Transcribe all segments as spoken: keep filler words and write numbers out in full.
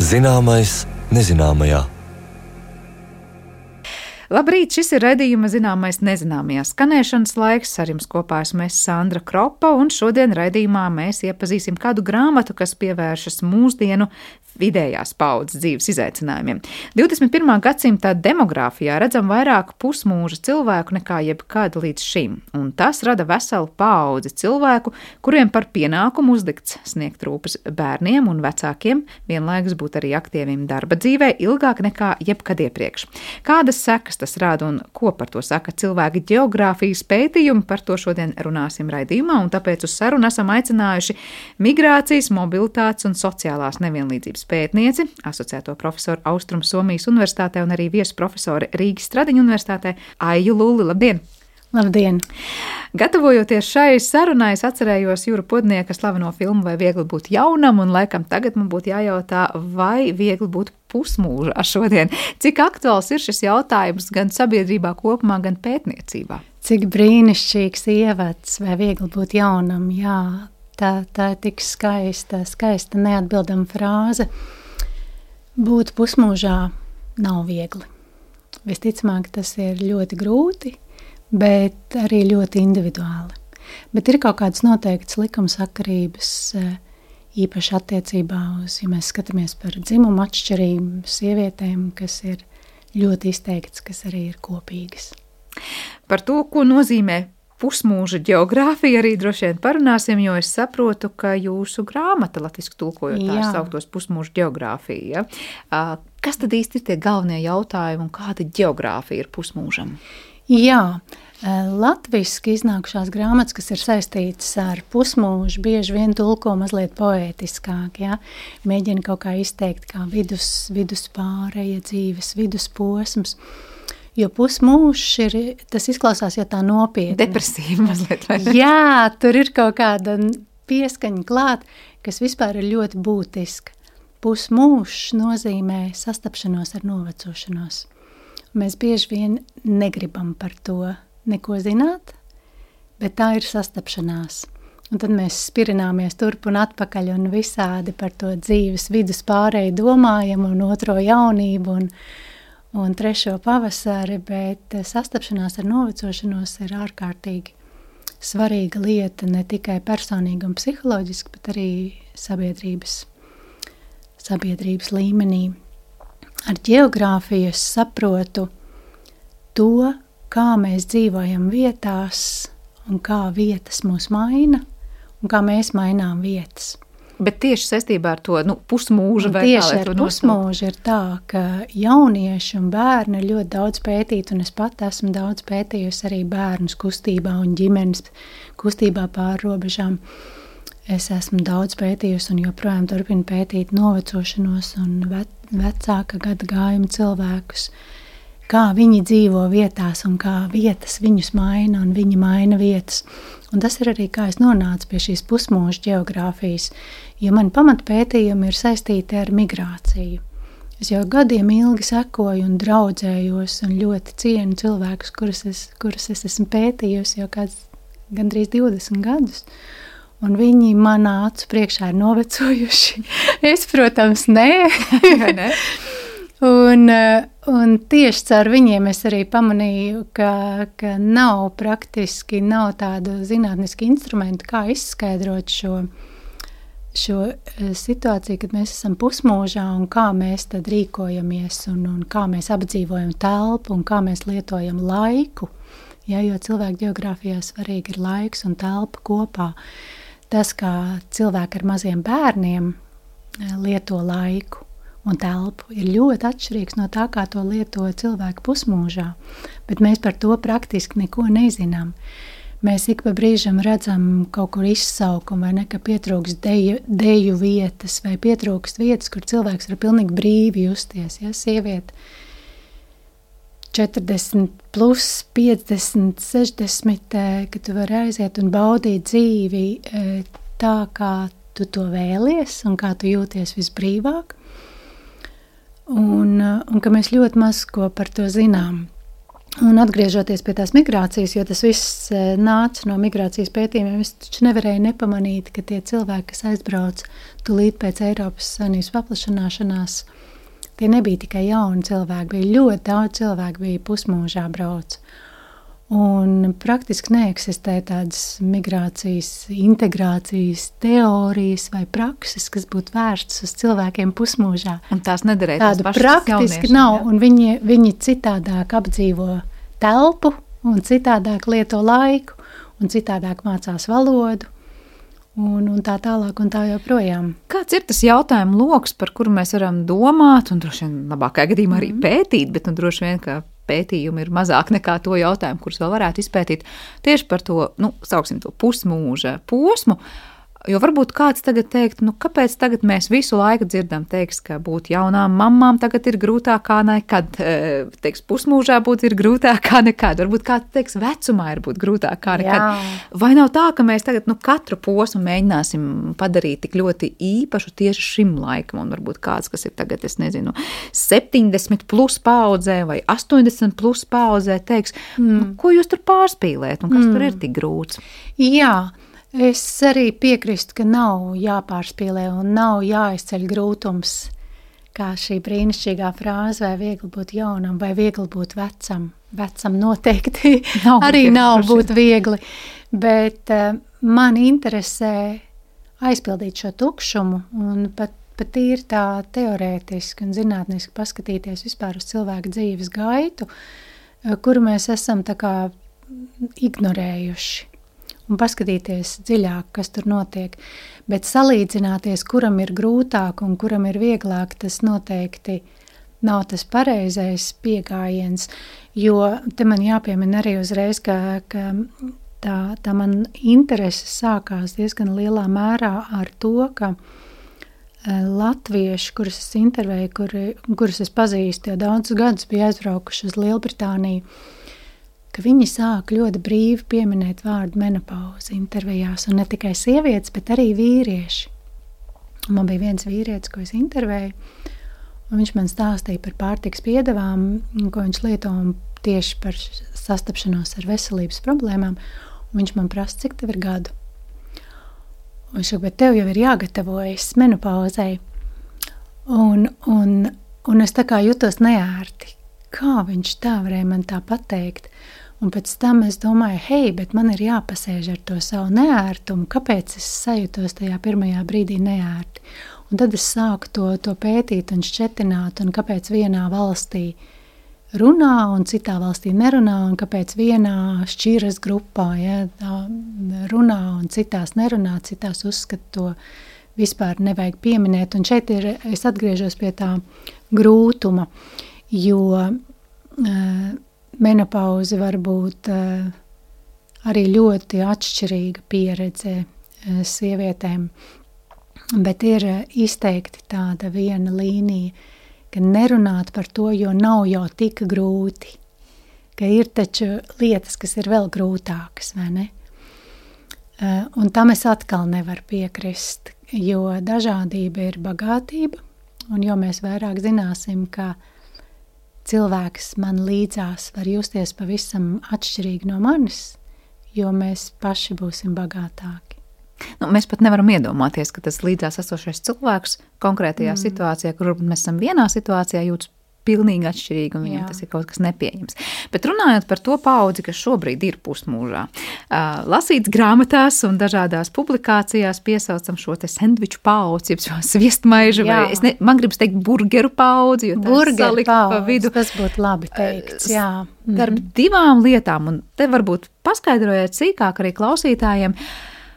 Zināmais nezināmajā. Labrīt, šis ir raidījuma Zināmais nezināmajā skanēšanas laiks. Ar jums kopā esmu es Sandra Kropa, un šodien raidījumā mēs iepazīsim kādu grāmatu, kas pievēršas mūsdienu vidējās paudzes dzīves izaicinājumiem. divdesmit pirmā gadsimta demogrāfijā redzam vairāk pusmūža cilvēku nekā jebkad līdz šim, un tas rada veselu paudzi cilvēku, kuriem par pienākumu uzlikts sniegt rūpes bērniem un vecākiem, vienlaikus būt arī aktīviem darba dzīvē ilgāk nekā jebkad iepriekš. Kādas sekas tas rada un ko par to saka cilvēki geogrāfijas pētījumi, par to šodien runāsim raidījumā, un tāpēc uz sarunu esam aicinājuši migrācijas, mobilitātes un sociālās nevienlīdzības pētnieci, asociēto profesoru Austrum Somijas Universitātē un arī viesu profesori Rīgas Stradiņu Universitātē Aiju Lulli. Labdien! Labdien! Gatavojoties šai sarunai, es atcerējos Jura Podnieka slaveno filmu Vai viegli būt jaunam, un laikam tagad man būtu jājautā, vai viegli būt pusmūžā šodien. Cik aktuāls ir šis jautājums gan sabiedrībā kopumā, gan pētniecībā? Cik brīnišķīgs ievads, vai viegli būt jaunam, jā. Tā, tā ir tik skaista, skaista neatbildama frāze. Būt pusmūžā nav viegli. Visticamāk, tas ir ļoti grūti, bet arī ļoti individuāli. Bet ir kaut kādas noteiktas likumsakarības, īpaši attiecībā uz, ja mēs skatāmies par dzimumu atšķirību sievietēm, kas ir ļoti izteikts, kas arī ir kopīgas. Par to, ko nozīmē pusmūža geogrāfija, arī droši vien parunāsim, jo es saprotu, ka jūsu grāmata latviski tulkojot tā sauktos pusmūža geogrāfija. Ja? Kas tad īsti ir tie galvenie jautājumi un kāda geogrāfija ir pusmūžam? Jā, latviski iznākušās grāmatas, kas ir saistītas ar pusmūžu, bieži vien tulko mazliet poētiskāk, ja? Mēģina kaut kā izteikt kā vidus, viduspāreja dzīves, vidusposms. Jo pusmūžs ir, tas izklausās jau tā nopietni. Depresīvi mazliet. Jā, tur ir kaut kāda pieskaņa klāt, kas vispār ir ļoti būtiska. Pusmūžs nozīmē sastapšanos ar novecošanos. Mēs bieži vien negribam par to neko zināt, bet tā ir sastapšanās. Un tad mēs spirināmies turp un atpakaļ un visādi par to dzīves viduspārēju domājam un otro jaunību un un trešo pavasari, bet sastapšanās ar novecošanos ir ārkārtīgi svarīga lieta ne tikai personīgi un psiholoģiski, bet arī sabiedrības, sabiedrības līmenī. Ar geogrāfiju es saprotu to, kā mēs dzīvojam vietās un kā vietas mūs maina un kā mēs mainām vietas. Bet tieši saistībā ar to nu, pusmūžu vai tieši ar pusmūžu ir tā, ka jaunieši un bērni ir ļoti daudz pētīti, un es pat esmu daudz pētījusi arī bērnus kustībā un ģimenes kustībā pāri robežām. Es esmu daudz pētījusi un joprojām turpinu pētīt novecošanos un vecāka gada gājuma cilvēkus, kā viņi dzīvo vietās un kā vietas viņus maina un viņi maina vietas. Un tas ir arī, kā es nonācu pie šīs pusmūža geogrāfijas, jo mani pamatpētījumi ir saistīti ar migrāciju. Es jau gadiem ilgi sekoju un draudzējos un ļoti cienu cilvēkus, kurus es, kurus es esmu pētījusi jau kāds gandrīz divdesmit gadus. Un viņi manā acu priekšā ir novecojuši. Es, protams, nē. ne? Un, un tieši caur viņiem es arī pamanīju, ka, ka nav praktiski, nav tādu zinātnisku instrumentu, kā izskaidrot šo, šo situāciju, kad mēs esam pusmūžā un kā mēs tad rīkojamies un, un kā mēs apdzīvojam telpu un kā mēs lietojam laiku. Ja, jo cilvēku geogrāfijā svarīgi ir laiks un telpa kopā. Tas, kā cilvēki ar maziem bērniem lieto laiku un telpu, ir ļoti atšķirīgs no tā, kā to lieto cilvēki pusmūžā, bet mēs par to praktiski neko nezinām. Mēs ik pa brīžam redzam kaut kur izsaukumu, vai ne, ka pietrūkst deju, deju vietas, vai pietrūkst vietas, kur cilvēks var pilnīgi brīvi justies, ja, sieviete četrdesmit plus, piecdesmit, sešdesmit, kad tu vari aiziet un baudīt dzīvi tā, kā tu to vēlies un kā tu jūties visbrīvāk. Un, un ka mēs ļoti maz ko par to zinām. Un atgriežoties pie tās migrācijas, jo tas viss nāca no migrācijas pētījumiem, es taču nevarēju nepamanīt, ka tie cilvēki, kas aizbrauc tūlīt pēc Eiropas Savienības paplašanāšanās, tie nebija tikai jauni cilvēki, bija ļoti daudz cilvēku, bija pusmūžā brauc. Un praktiski neeksistē tādas migrācijas, integrācijas teorijas vai prakses, kas būtu vērstas uz cilvēkiem pusmūžā. Un tās nederēja tās pašas praktiski nav, ja? Un viņi, viņi citādāk apdzīvo telpu un citādāk lieto laiku un citādāk mācās valodu un, un tā tālāk un tā joprojām. Kāds ir tas jautājumu loks, par kuru mēs varam domāt un droši vien labākajā gadījumā arī pētīt, bet nu droši vien, ka pētījumi ir mazāk nekā to jautājumu, kurus vēl varētu izpētīt tieši par to, nu, sauksim to pusmūža posmu, jo varbūt kāds tagad teikt, nu, kāpēc tagad mēs visu laiku dzirdam, teiks, ka būt jaunām mamām tagad ir grūtāk kā nekad, teiks, pusmūžā būt ir grūtāk kā nekad, varbūt kāds teiks, vecumā ir būt grūtāk kā nekad. Jā. Vai nav tā, ka mēs tagad, nu, katru posmu mēģināsim padarīt tik ļoti īpašu tieši šim laikam, un varbūt kāds, kas ir tagad, es nezinu, septiņdesmit plus paudzē vai astoņdesmit plus paudzē, teiks, mm. nu, ko jūs tur pārspīlēt, un kas mm. tur ir tik grūts? Jā. Es arī piekrīstu, ka nav jāpārspīlē un nav jāizceļ grūtums, kā šī brīnišķīgā frāze, vai viegli būt jaunam, vai viegli būt vecam. Vecam noteikti nav arī nav būt viegli, bet uh, man interesē aizpildīt šo tukšumu un pat, pat ir tā teorētiski un zinātniski paskatīties vispār uz cilvēku dzīves gaitu, uh, kuru mēs esam tā kā ignorējuši. Un paskatīties dziļāk, kas tur notiek. Bet salīdzināties, kuram ir grūtāk un kuram ir vieglāk, tas noteikti nav tas pareizais pieejams, jo te man jāpiemina arī uzreiz, ka, ka tā, tā man interese sākās diezgan lielā mērā ar to, ka latvieši, kurus es intervēju, kuri, kurus es pazīstu, jau daudzus gadus bija aizbraukuši uz Lielbritāniju, ka viņi sāk ļoti brīvi pieminēt vārdu menopauze intervijās, un ne tikai sievietes, bet arī vīrieši. Un man bija viens vīrietis, ko es intervēju, un viņš man stāstīja par pārtikas piedevām, ko viņš lieto tieši par sastapšanos ar veselības problēmām, un viņš man prasa, cik tev ir gadu. Un viņš saka, bet tev jau ir jāgatavojas menopauzei, un, un, un es tā kā jutos neērti. Kā viņš tā varēja man tā pateikt? Un pēc tam es domāju, hei, bet man ir jāpasēž ar to savu neērtumu, kāpēc es sajūtos tajā pirmajā brīdī neērti. Un tad es sāku to, to pētīt un šķetināt, un kāpēc vienā valstī runā un citā valstī nerunā, un kāpēc vienā šķiras grupā ja, runā un citās nerunā, citās uzskata to vispār nevajag pieminēt. Un šeit ir, es atgriežos pie tā grūtuma, jo uh, menopauze var būt uh, arī ļoti atšķirīga pieredze uh, sievietēm, bet ir uh, izteikti tāda viena līnija, ka nerunāt par to, jo nav jau tik grūti, ka ir taču lietas, kas ir vēl grūtākas, vai ne? Uh, un tam es atkal nevaru piekrist, jo dažādība ir bagātība, un jo mēs vairāk zināsim, ka cilvēks man līdzās var justies pavisam atšķirīgi no manis, jo mēs paši būsim bagātāki. Nu, mēs pat nevaram iedomāties, ka tas līdzās esošais cilvēks konkrētajā mm. situācijā, kur mēs esam vienā situācijā, jūtas pilnīgi atšķirīgi, un viņam Jā. Tas ir kaut kas nepieņems. Bet runājot par to paudzi, kas šobrīd ir pusmūžā, uh, lasīts grāmatās un dažādās publikācijās piesaucam šo te sendviču paudzi, jeb šo sviestmaižu, vai es ne, man gribas teikt burgeru paudzi, jo tā salikt pa vidu. Tas būtu labi teikts, jā. Starp mm. divām lietām, un te varbūt paskaidrojiet sīkāk arī klausītājiem.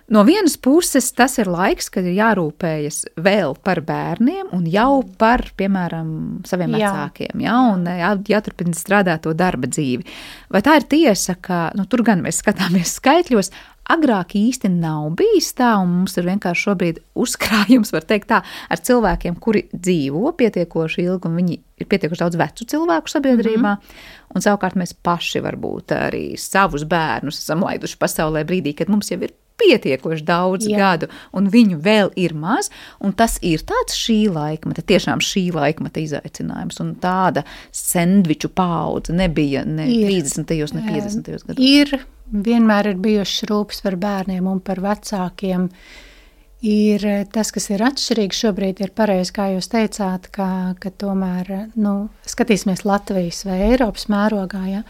No vienas puses tas ir laiks, kad ir jārūpējas vēl par bērniem un jau par, piemēram, saviem Jā. Vecākiem, ja, un jā, jāturpina strādāt to darba dzīvi. Vai tā ir tiesa, ka, nu, tur gan mēs skatāmies skaitļos, agrāk īsti nav bijis tā, un mums ir vienkārši šobrīd uzkrājums, var teikt tā, ar cilvēkiem, kuri dzīvo pietiekoši ilgi, un viņi ir pietiekoši daudz vecu cilvēku sabiedrībā, mm-hmm. un savukārt mēs paši varbūt arī savus bērnus esam laiduši pasaulē brīdī, kad mums jau ir pietiekoši daudz Jā. gadu, un viņu vēl ir maz, un tas ir tāds šī laikmeta, tiešām šī laikmeta izaicinājums, un tāda sendviču paudze nebija ne ir. trīsdesmitajos, ne piecdesmitajos gados. Ir, vienmēr ir bijušas rūpes par bērniem un par vecākiem. Ir tas, kas ir atšķirīgs šobrīd, ir pareizi, kā jūs teicāt, ka, ka tomēr, nu, skatīsimies Latvijas vai Eiropas mērogā, ja,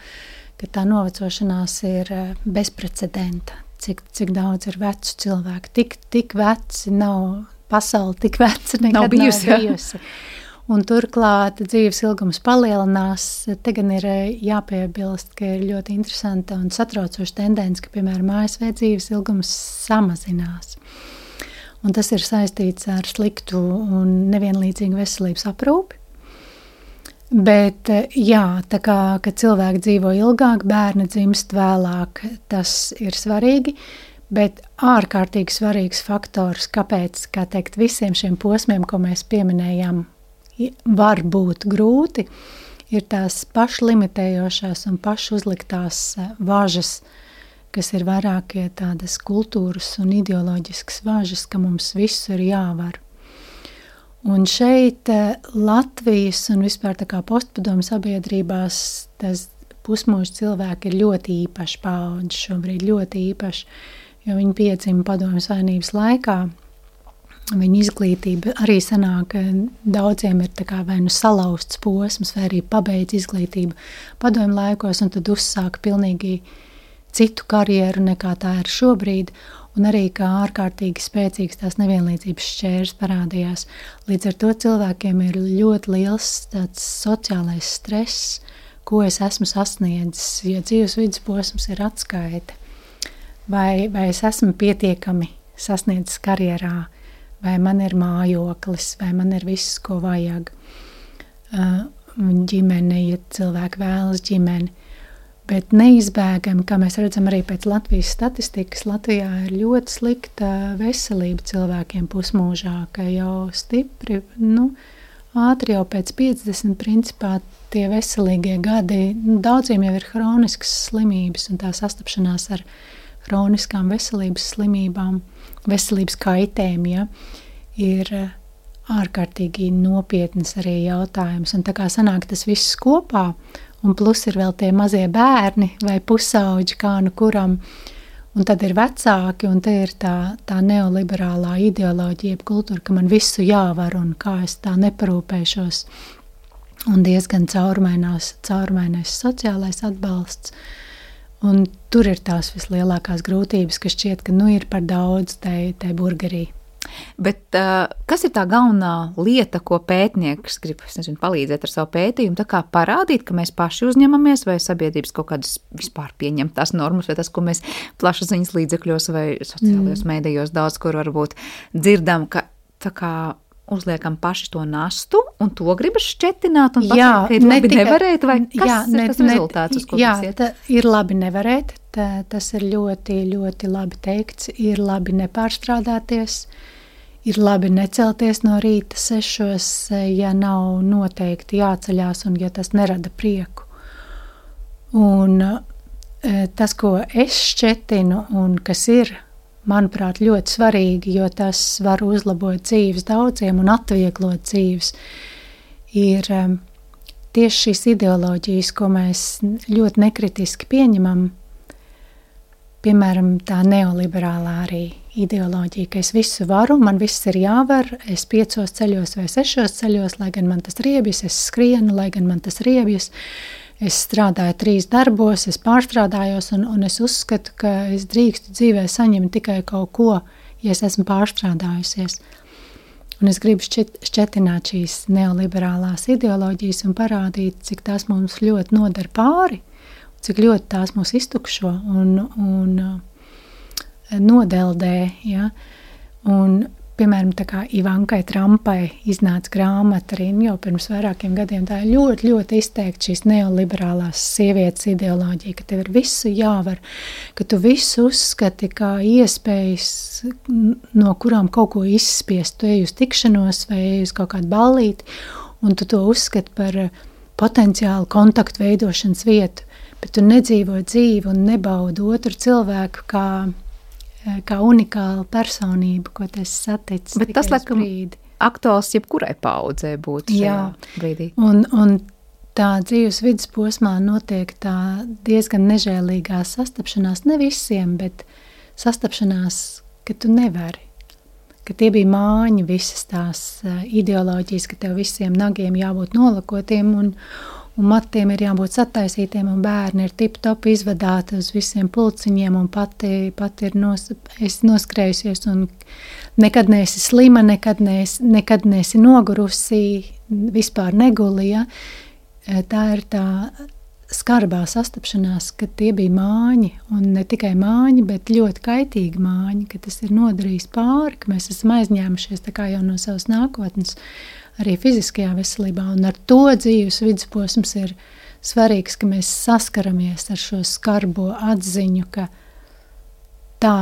ka tā novecošanās ir bezprecedenta, cik, cik daudz ir vecu cilvēku, tik, tik veci nav, pasauli tik veca nekad nav bijusi. Nav bijusi. Un turklāt dzīves ilgums palielinās, te gan ir jāpiebilst, ka ir ļoti interesanta un satraucoša tendence, ka, piemēram, A S V dzīves ilgums samazinās. Un tas ir saistīts ar sliktu un nevienlīdzīgu veselības aprūpi. Bet, jā, tā kā, ka cilvēki dzīvo ilgāk, bērni dzimst vēlāk, tas ir svarīgi, bet ārkārtīgi svarīgs faktors, kāpēc, kā teikt, visiem šiem posmiem, ko mēs pieminējām, var būt grūti, ir tās pašlimitējošās un pašuzliktās važas, kas ir vairākie tādas kultūras un ideoloģiskas važas, ka mums visu ir jāvar. Un šeit Latvijas un vispār tā kā postpadomu sabiedrībās tas pusmūža cilvēki ir ļoti īpaši paudži šobrīd, ļoti īpaši, jo viņi piedzima padomju savienības laikā. Viņa izglītība arī sanāk, daudziem ir tā kā vai nu salauzts posms, vai arī pabeidz izglītību padomju laikos, un tad uzsāk pilnīgi citu karjeru nekā tā ir šobrīd, un arī kā ārkārtīgi spēcīgs tās nevienlīdzības šķērs parādījās. Līdz ar to cilvēkiem ir ļoti liels tāds sociālais stress, ko es esmu sasniedzis, jo dzīves vidusposms ir atskaite. Vai, vai es esmu pietiekami sasniedzis karjerā, vai man ir mājoklis, vai man ir viss, ko vajag. Uh, ģimene, ja cilvēki vēlas ģimeni. Bet neizbēgami, kā mēs redzam arī pēc Latvijas statistikas, Latvijā ir ļoti slikta veselība cilvēkiem pusmūžā, ka jau stipri, nu, ātri jau pēc piecdesmit principā tie veselīgie gadi, nu, daudziem jau ir hroniskas slimības un tā sastapšanās ar hroniskām veselības slimībām, veselības kaitēm, ja, ir ārkārtīgi nopietnas arī jautājums. Un tā kā sanāk tas viss kopā, un plus ir vēl tie mazie bērni vai pusauģi, kā nu kuram, un tad ir vecāki, un te ir tā, tā neoliberālā ideoloģija, kultūra, ka man visu jāvar, un kā es tā neparūpēšos, un diezgan caurmainās, caurmainais sociālais atbalsts, un tur ir tās vislielākās grūtības, ka šķiet, ka nu ir par daudz tai, tai burgerī. Bet uh, kas ir tā galvenā lieta, ko pētnieks grib, es nezinu, palīdzēt ar savu pētījumu, tā kā parādīt, ka mēs paši uzņemamies vai sabiedrības kaut kādas vispār pieņemtās normas, vai tas, ko mēs plašsaziņas līdzekļos vai sociālajos mm. mēdījos daudz, kur varbūt dzirdam, ka tā kā uzliekam paši to nastu, un to gribas šķetināt, un jā, pateikt, ka ir labi tika, nevarēt, vai kas jā, ir ne, tas rezultāts, uz ko jā, tas iet? Jā, ir labi nevarēt, tā, tas ir ļoti, ļoti labi teikts, ir labi nepārstrādāties, ir labi necelties no rīta sešos, ja nav noteikti jāceļās un ja tas nerada prieku. Un tas, ko es šķetinu un kas ir, manuprāt, ļoti svarīgi, jo tas var uzlabot dzīves daudziem un atvieglot dzīves, ir tieši šīs ideoloģijas, ko mēs ļoti nekritiski pieņemam, piemēram, tā neoliberālā arī ideoloģija, ka es visu varu, man viss ir jāvar, es piecos ceļos vai sešos ceļos, lai gan man tas riebjas, es skrienu, lai gan man tas riebjas, es strādāju trīs darbos, es pārstrādājos, un, un es uzskatu, ka es drīkstu dzīvē saņemt tikai kaut ko, ja es esmu pārstrādājusies. Un es gribu šķet, šķetināt šīs neoliberālās ideoloģijas un parādīt, cik tās mums ļoti nodara pāri, cik ļoti tās mūs iztukšo un, un nodeldē. Ja? Un, piemēram, tā kā Ivankai Trumpai iznāca grāmata arī jau pirms vairākiem gadiem, tā ir ļoti, ļoti izteikti šīs neoliberālās sievietes ideoloģija, ka tev ir visu jāvar, ka tu visu uzskati kā iespējas, no kurām kaut ko izspiest. Tu ej uz tikšanos vai ej uz kaut kādu ballīti, un tu to uzskati par potenciālu kontaktu veidošanas vietu, bet tu nedzīvo dzīvi un nebaudi otru cilvēku kā kā unikāla personība, ko tu esi saticis. Bet tas, laikam, aktuāls jebkurai paudzē būtu šajā Jā. brīdī. Un, un tā dzīves vidusposmā notiek tā diezgan nežēlīgā sastapšanās, ne visiem, bet sastapšanās, ka tu nevari. Ka tie bija māņi, visas tās ideoloģijas, ka tev visiem nagiem jābūt nolakotiem un, un matiem ir jābūt sataisītiem un bērni ir tip-top izvadāti uz visiem pulciņiem un pati, pati ir nos, esi noskrējusies un nekad neesi slima, nekad neesi, nekad neesi nogurusi, vispār neguli, ja? Tā ir tā skarbā sastapšanās, ka tie bija māņi, un ne tikai māņi, bet ļoti kaitīgi māņi, ka tas ir nodarījis pāri, ka mēs esam aizņēmušies tā kā jau no savas nākotnes, arī fiziskajā veselībā, un ar to dzīves vidusposms ir svarīgs, ka mēs saskaramies ar šo skarbo atziņu, ka tā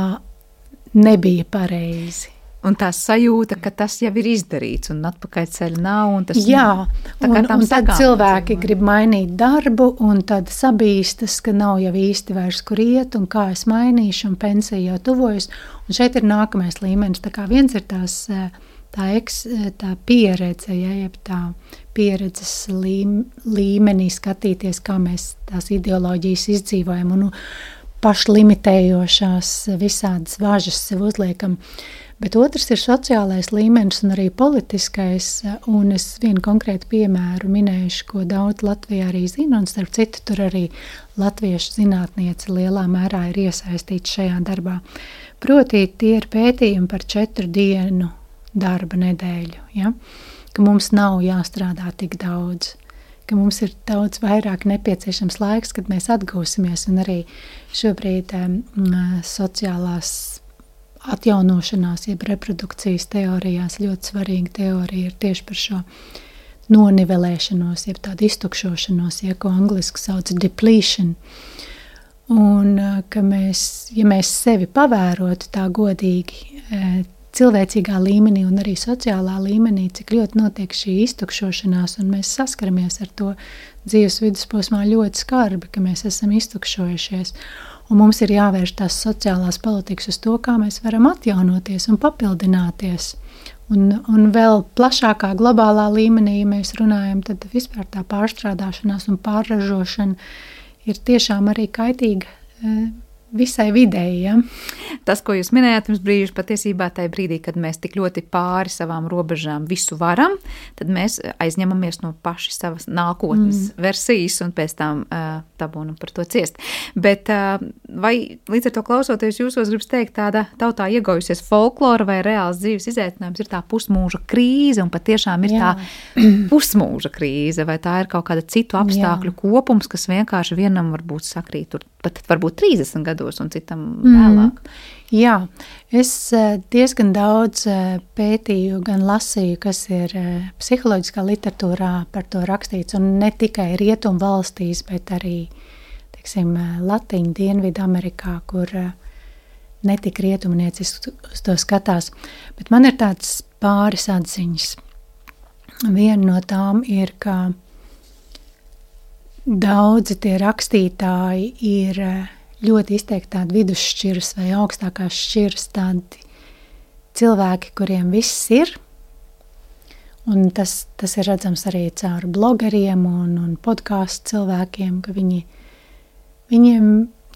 nebija pareizi. Un tā sajūta, ka tas jau ir izdarīts un atpakaļ ceļa nav. Un tas Jā, tā un, un tad cilvēki dzīvo. grib mainīt darbu un tad sabīstas, ka nav jau īsti vairs kur iet un kā es mainīšu un pensija jau tuvojas. Un šeit ir nākamais līmenis. Tā kā viens ir tās, tā, eks, tā pieredze, ja, jeb tā pieredzes līm, līmenī skatīties, kā mēs tās ideoloģijas izdzīvojam un pašlimitējošās visādas važas sev uzliekam. Bet otrs ir sociālais līmenis un arī politiskais, un es vienu konkrētu piemēru minēšu, ko daudz Latvijā arī zina, un starp citu tur arī latviešu zinātniece lielā mērā ir iesaistīta šajā darbā. Proti, tie ir pētījumi par četru dienu darba nedēļu, ja? Ka mums nav jāstrādā tik daudz, ka mums ir daudz vairāk nepieciešams laiks, kad mēs atgūsimies, un arī šobrīd um, sociālās atjaunošanās, jeb reprodukcijas teorijās ļoti svarīga teorija ir tieši par šo nonivelēšanos, jeb tādu iztukšošanos, ja, ko angliski sauc depletion. Un ka mēs, ja mēs sevi pavērotu tā godīgi cilvēcīgā līmenī un arī sociālā līmenī, cik ļoti notiek šī iztukšošanās, un mēs saskaramies ar to dzīves vidusposmā ļoti skarbi, ka mēs esam iztukšojušies. Un mums ir jāvērš tās sociālās politikas uz to, kā mēs varam atjaunoties un papildināties. Un, un vēl plašākā globālā līmenī, ja mēs runājam, tad vispār tā pārstrādāšanās un pārražošana ir tiešām arī kaitīga visai videi. Ja? Tas, ko jūs minējāt pirms brīža, patiesībā tajā brīdī, kad mēs tik ļoti pāri savām robežām visu varam, tad mēs aizņemamies no paši savas nākotnes mm. versijas un pēc tam uh, dabūnam par to ciest. Bet uh, vai līdz ar to klausoties jūsos gribas teikt tāda tautā iegojusies folklora vai reāls dzīves izaicinājums ir tā pusmūža krīze un patiešām ir Jā. tā pusmūža krīze vai tā ir kaut kāda citu apstākļu Jā. kopums, kas vienkārši vienam varbūt sakrīt tur pat varbūt trīsdesmit gados un citam vēlāk. Mm. Jā, es diezgan daudz pētīju, gan lasīju, kas ir psiholoģiskā literatūrā par to rakstīts, un ne tikai rietumu valstīs, bet arī, teiksim, Latiņu, Dienvidu Amerikā, kur netik rietumnieciski uz to skatās. Bet man ir tāds pāris atziņas. Viena no tām ir, ka daudzi tie rakstītāji ir ļoti izteikti tādi vidusšķiras vai augstākās šķiras, tādi cilvēki, kuriem viss ir. Un tas, tas ir redzams arī caur blogeriem un, un podcastu cilvēkiem, ka viņi, viņiem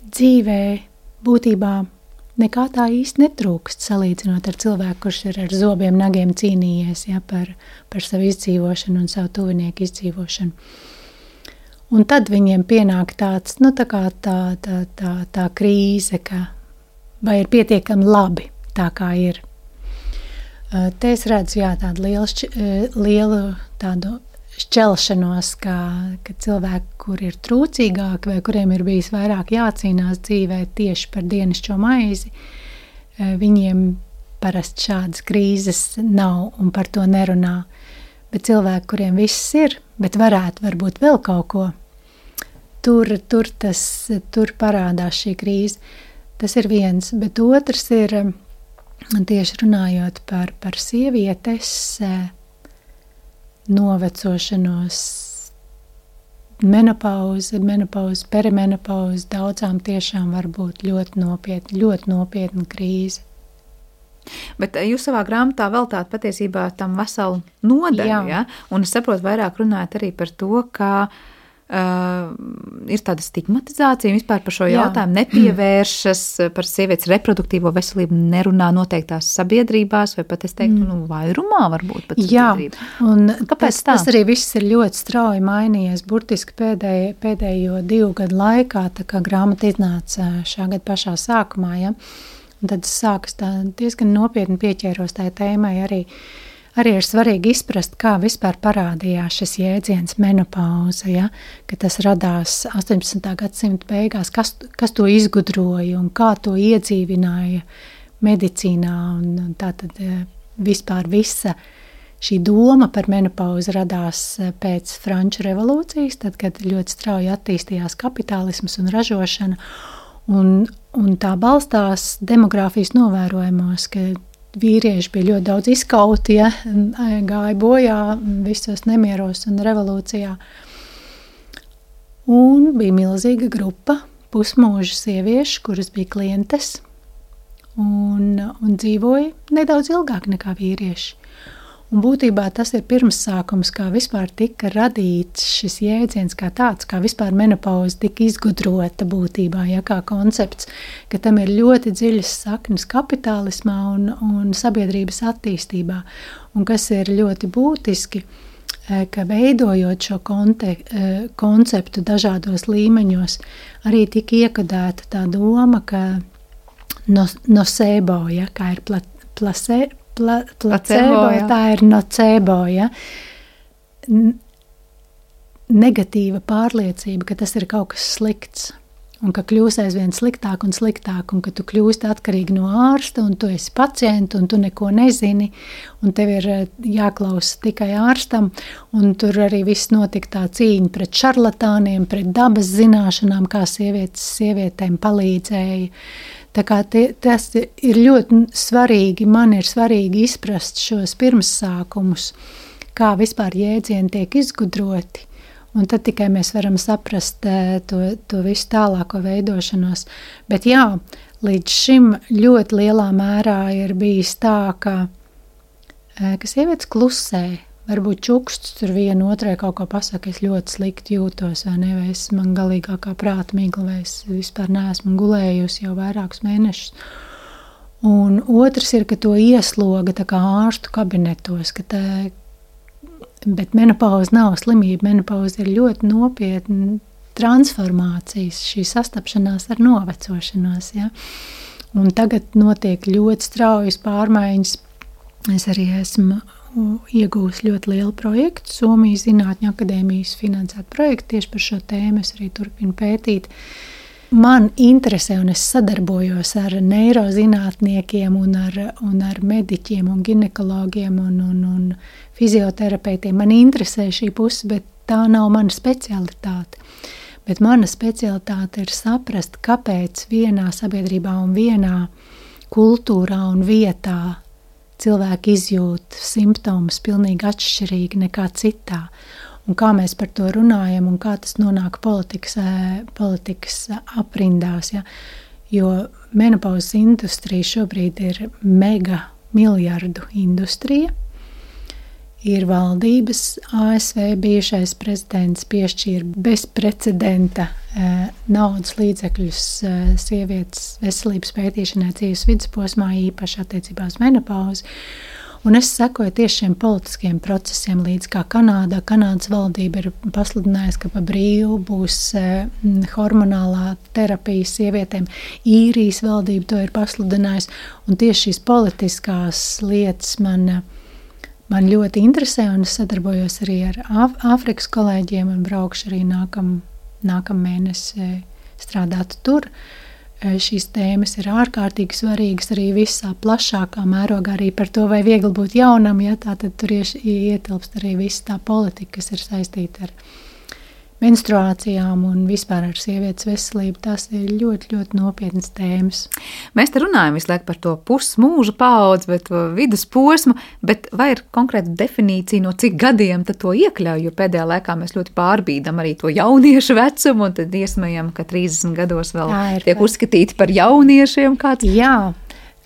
dzīvē būtībā nekā tā īsti netrūkst, salīdzinot ar cilvēku, kurš ir ar zobiem, nagiem cīnījies ja, par, par savu izdzīvošanu un savu tuvinieku izdzīvošanu. Un tad viņiem pienāk tāds, nu tā kā tā, tā, tā, tā krīze, ka vai ir pietiekami labi tā kā ir. Te es redzu, jā, tādu lielu, šķi, lielu tādu šķelšanos, ka, ka cilvēki, kur ir trūcīgāki vai kuriem ir bijis vairāk jācīnās dzīvē tieši par dienascho maizi, viņiem parasti šādas krīzes nav un par to nerunā. Bet cilvēki, kuriem viss ir, bet varētu varbūt vēl kaut ko, tur, tur, tas, tur parādās šī krīze. Tas ir viens, bet otrs ir tieši runājot par, par sievietes novecošanos menopauze, menopauze, perimenopauze daudzām tiešām var būt ļoti nopietna, ļoti nopietna krīze. Bet jūs savā grāmatā veltāt patiesībā tam veselu nodaļu, ja? Un es saprotu, vairāk runājat arī par to, ka uh, ir tāda stigmatizācija vispār par šo Jā. jautājumu, nepievēršas par sievietes reproduktīvo veselību, nerunā noteiktās sabiedrībās, vai pat es teiktu, nu, vairumā varbūt pat sabiedrībā. Jā, un Kāpēc tas, tā? tas arī viss ir ļoti strauji mainījies, burtiski pēdējo, pēdējo divu gadu laikā, tā kā grāmata iznāca šā gada pašā sākumā, ja? Un tad es sāku tā diezgan nopietni pieķēros tai tēmai. Arī, arī ir svarīgi izprast, kā vispār parādījās šis jēdziens menopauze, ja? Ka tas radās astoņpadsmitā gadsimta beigās, kas, kas to izgudroja un kā to iedzīvināja medicīnā. Un, un tā tad vispār visa šī doma par menopauzi radās pēc Franču revolūcijas, tad, kad ļoti strauji attīstījās kapitālisms un ražošana. Un, un tā balstās demogrāfijas novērojumos, ka vīrieši bija ļoti daudz izkauti, ja, gāja bojā visos nemieros un revolūcijā. Un bija milzīga grupa pusmūža sieviešu, kuras bija klientes un, un dzīvoja nedaudz ilgāk nekā vīrieši. Un būtībā tas ir pirmsākums, kā vispār tika radīts šis jēdziens kā tāds, kā vispār menopauze tika izgudrota būtībā, ja, kā koncepts, ka tam ir ļoti dziļas saknes kapitālismā un, un sabiedrības attīstībā. Un kas ir ļoti būtiski, ka veidojot šo konte, konceptu dažādos līmeņos, arī tika iekodēta tā doma, ka no, nocebo, ja, kā ir pla, plase, Pla, placebo, ja, tā ir nocebo, ja. Negatīva pārliecība, ka tas ir kaut kas slikts un ka kļūs aizvien sliktāk un sliktāk un ka tu kļūsti atkarīgi no ārsta un tu esi pacienti un tu neko nezini un tev ir jāklausa tikai ārstam un tur arī viss notika tā cīņa pret šarlatāniem, pret dabas zināšanām, kā sievietes sievietēm palīdzēja. Tā kā tie, tas ir ļoti svarīgi, man ir svarīgi izprast šos pirmsākumus, kā vispār jēdzieni tiek izgudroti, un tad tikai mēs varam saprast to, to visu tālāko veidošanos. Bet jā, līdz šim ļoti lielā mērā ir bijis tā, ka, ka sievietes klusē, varbūt čuksts tur vienu otrai kaut ko pasaka, es ļoti slikti jūtos, vai ne, vai es man galīgākā prāta migla, vai es vispār neesmu gulējusi jau vairākus mēnešus. Un otrs ir, ka to iesloga tā kā ārstu kabinetos, ka tā, bet menopauze nav slimība, menopauze ir ļoti nopietna transformācijas, šī sastapšanās ar novecošanos, ja. Un tagad notiek ļoti straujas pārmaiņas, es arī esmu iegūs ļoti lielu projektu, Somijas Zinātņu akadēmijas finansētu projektu tieši par šo tēmu, es arī turpinu pētīt. Man interesē un es sadarbojos ar neirozinātniekiem un ar, un ar mediķiem un ginekologiem un, un, un fizioterapeitiem. Man interesē šī puse, bet tā nav mana specialitāte. Bet mana specialitāte ir saprast, kāpēc vienā sabiedrībā un vienā kultūrā un vietā cilvēki izjūt simptomus pilnīgi atšķirīgi nekā citā. Un kā mēs par to runājam un kā tas nonāk politikas, politikas aprindās. Ja? Jo menopauzes industrija šobrīd ir mega miljardu industrija. Ir valdības, A S V bijušais prezidents piešķīra bezprecedenta eh, naudas līdzekļus eh, sievietes veselības pētīšanai dzīves vidusposmā, īpaši attiecībā uz menopauzi. Un es sekoju tieši šiem politiskiem procesiem līdz kā Kanādā. Kanādas valdība ir pasludinājusi, ka pa brīvu būs eh, hormonālā terapija sievietēm. Īrijas valdība to ir pasludinājusi. Un tieši šīs politiskās lietas man Man ļoti interesē, un es sadarbojos arī ar Āfrikas kolēģiem un braukšu arī nākam, nākam mēnesi strādāt tur. Šīs tēmas ir ārkārtīgi svarīgas arī visā plašākā mērogā, arī par to, vai viegli būt jaunam, ja tā tad tur ietilpst arī viss tā politika, kas ir saistīta ar menstruācijām un vispār ar sievietes veselību. Tas ir ļoti, ļoti nopietnas tēmas. Mēs te runājam visu laiku par to pusmūža paudzi vai to vidusposmu, bet vai ir konkrēta definīcija, no cik gadiem tad to iekļauj? Jo pēdējā laikā mēs ļoti pārbīdam arī to jauniešu vecumu un tad iesmējam, ka trīsdesmit gados vēl tiek par... uzskatīti par jauniešiem kāds. Jā.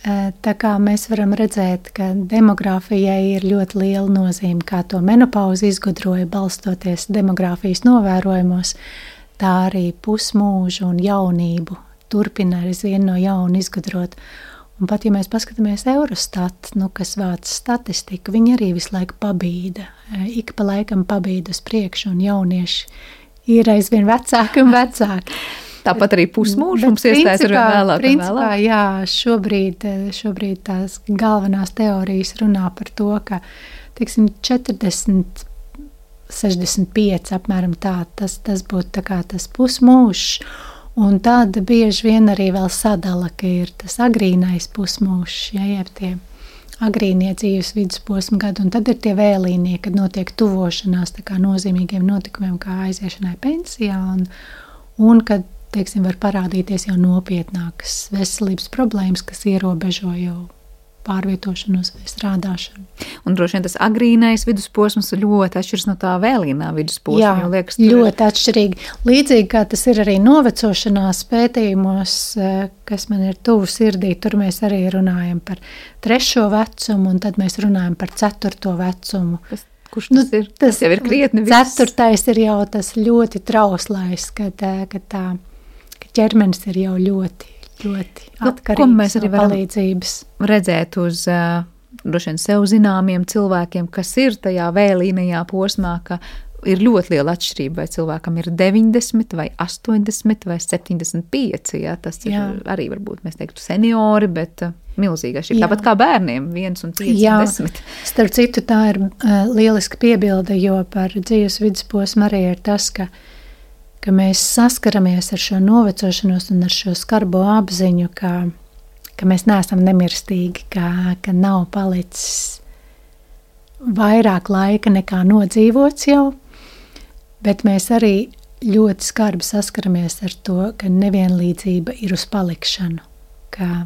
Tā kā mēs varam redzēt, ka demogrāfijai ir ļoti liela nozīme, kā to menopauzi izgudroja balstoties demogrāfijas novērojumos, tā arī pusmūžu un jaunību turpina aizvien no jauna izgudrot. Un pat, ja mēs paskatāmies Eurostat, nu, kas vāc statistiku, viņi arī visu laiku pabīda, ik pa laikam pabīda uz priekšu, un jaunieši ir aizvien vecāki un vecāki. Tāpat arī pusmūžu mums iestājas ar vien vēlāk. Principā, jā, šobrīd, šobrīd tās galvenās teorijas runā par to, ka, teiksim, četrdesmit, sešdesmit pieci apmēram tā, tas, tas būtu tā kā tas pusmūžs, un tāda bieži vien arī vēl sadala, ka ir tas agrīnais pusmūžs, ja, jeb tie agrīnie dzīves vidusposma gadi, un tad ir tie vēlīnie, kad notiek tuvošanās tā kā nozīmīgiem notikumiem, kā aiziešanai pensijā, un, un kad teiksim, var parādīties jau nopietnākas veselības problēmas, kas ierobežo jau pārvietošanos vai strādāšanu. Un droši vien tas agrīnais vidusposms ļoti atšķiras no tā vēlīnā vidusposma. Jā, jo liekas, ļoti ir... atšķirīgi. Līdzīgi kā tas ir arī novecošanās pētījumos, kas man ir tuvu sirdī, tur mēs arī runājam par trešo vecumu, un tad mēs runājam par ceturto vecumu. Kas Kurš tas nu, ir? Tas, tas jau ir krietni viss. Ceturtais ir jau tas ļoti trauslais, kad, kad, tā, kad ķermenis ir jau ļoti, ļoti atkarīgs no palīdzības. Redzēt uz uh, droši vien sev zināmiem cilvēkiem, kas ir tajā vēlīnajā posmā, ka ir ļoti liela atšķirība, vai cilvēkam ir deviņdesmit, vai astoņdesmit, vai septiņdesmit pieci. Ja? Tas ir jā. Arī varbūt, mēs teiktu, seniori, bet uh, milzīga šī. Tāpat kā bērniem, viens un pieci, jā. desmit. Starp citu, tā ir uh, lieliska piebilde, jo par dzīves vidusposmu arī ir tas, ka, ka mēs saskaramies ar šo novecošanos un ar šo skarbo apziņu, ka, ka mēs neesam nemirstīgi, ka, ka nav palicis vairāk laika nekā nodzīvots jau, bet mēs arī ļoti skarbi saskaramies ar to, ka nevienlīdzība ir uz palikšanu, ka,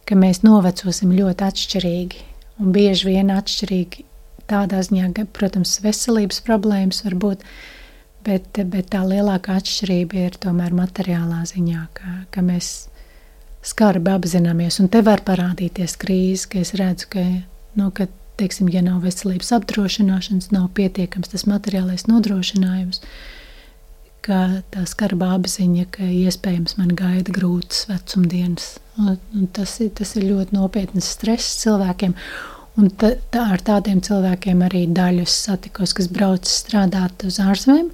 ka mēs novecosim ļoti atšķirīgi un bieži vien atšķirīgi tādā ziņā, ka, protams, veselības problēmas var būt, bet, bet tā lielākā atšķirība ir tomēr materiālā ziņā, ka, ka mēs skarbi apzināmies, un te var parādīties krīze, ka es redzu, ka, nu, ka teiksim, ja nav veselības apdrošināšanas, nav pietiekams tas materiālais nodrošinājums, ka tā skarbā apziņa, ka iespējams man gaida grūtas vecumdienas. Un, un tas, ir, tas ir ļoti nopietnas stress cilvēkiem. Un ta, tā, ar tādiem cilvēkiem arī daļus satikos, kas brauc strādāt uz ārzemēm,